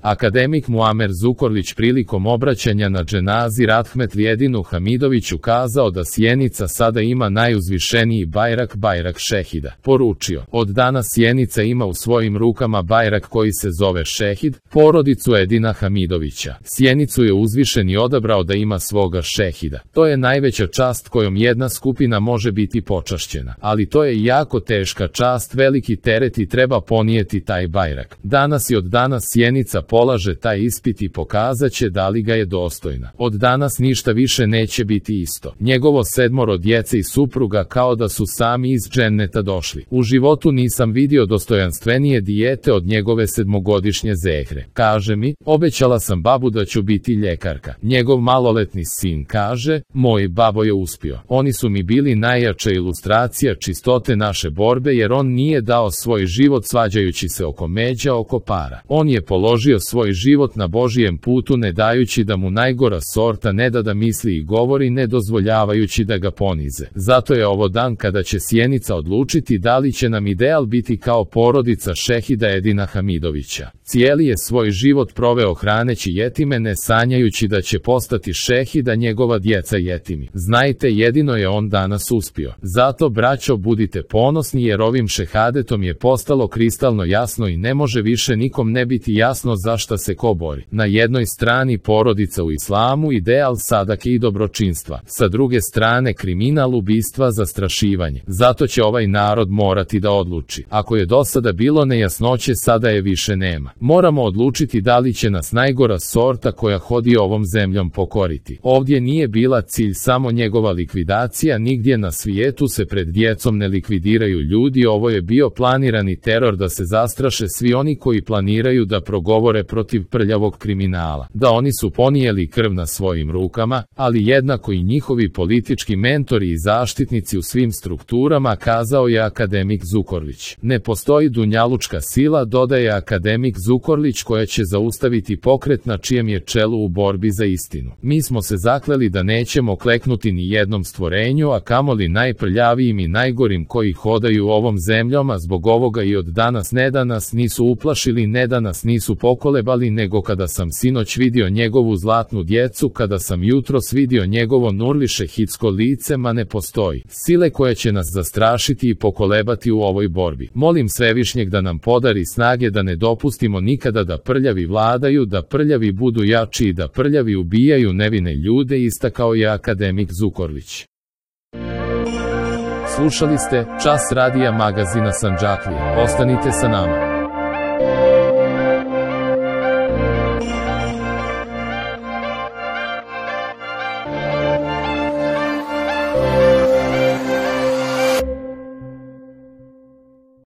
Akademik Muamer Zukorlić prilikom obraćanja na dženazi Rahmetli Edinu Hamidoviću kazao da Sjenica sada ima najuzvišeniji bajrak, bajrak šehida. Poručio: od danas Sjenica ima u svojim rukama bajrak koji se zove šehid, porodicu Edina Hamidovića. Sjenicu je uzvišeni odabrao da ima svoga šehida. To je najveća čast kojom jedna skupina može biti počašćena. Ali to je jako teška čast, veliki teret i treba ponijeti taj bajrak. Danas i od danas Sjenica polaže taj ispit i pokazat će da li ga je dostojna. Od danas ništa više neće biti isto. Njegovo 7 djece i supruga kao da su sami iz dženneta došli. U životu nisam vidio dostojanstvenije dijete od njegove 7-godišnje Zehre. Kaže mi: obećala sam babu da ću biti ljekarka. Njegov maloletni sin kaže: moj babo je uspio. Oni su mi bili najjača ilustracija čistote naše borbe, jer on nije dao svoj život svađajući se oko međa, oko para. On je položio svoj život na Božijem putu, ne dajući da mu najgora sorta ne da misli i govori, ne dozvoljavajući da ga ponize. Zato je ovo dan kada će Sjenica odlučiti da li će nam ideal biti kao porodica šehida Edina Hamidovića. Cijeli je svoj život proveo hraneći jetime, ne sanjajući da će postati šehid, a njegova djeca jetimi. Znajte, jedino je on danas uspio. Zato, braćo, budite ponosni, jer ovim šehadetom je postalo kristalno jasno i ne može više nikom ne biti jasno za šta se ko bori. Na jednoj strani porodica u islamu, ideal sadake i dobročinstva. Sa druge strane kriminal, ubistva, zastrašivanje. Zato će ovaj narod morati da odluči. Ako je do sada bilo nejasnoće, sada je više nema. Moramo odlučiti da li će nas najgora sorta koja hodi ovom zemljom pokoriti. Ovdje nije bila cilj samo njegova likvidacija, nigdje na svijetu se pred djecom ne likvidiraju ljudi, ovo je bio planirani teror da se zastraše svi oni koji planiraju da progovore protiv prljavog kriminala. Da, oni su ponijeli krv na svojim rukama, ali jednako i njihovi politički mentori i zaštitnici u svim strukturama, kazao je akademik Zukorlić. Ne postoji dunjalučka sila, dodaje akademik Zukorlić, koja će zaustaviti pokret na čijem je čelu u borbi za istinu. Mi smo se zakleli da nećemo kleknuti ni jednom stvorenju, a kamoli najprljavijim i najgorim koji hodaju ovom zemljom, a zbog ovoga i od danas ne da nas nisu uplašili, ne da nas nisu pokolebali, nego kada sam sinoć vidio njegovu zlatnu djecu, kada sam jutros vidio njegovo nurliše hitsko lice, ma ne postoji sile koja će nas zastrašiti i pokolebati u ovoj borbi. Molim Svevišnjeg da nam podari snage da ne dopustimo nikada da prljavi vladaju, da prljavi budu jači i da prljavi ubijaju nevine ljude, istakao je akademik Zukorlić. Slušali ste Čas radija magazina Sandžaklije. Ostanite sa nama.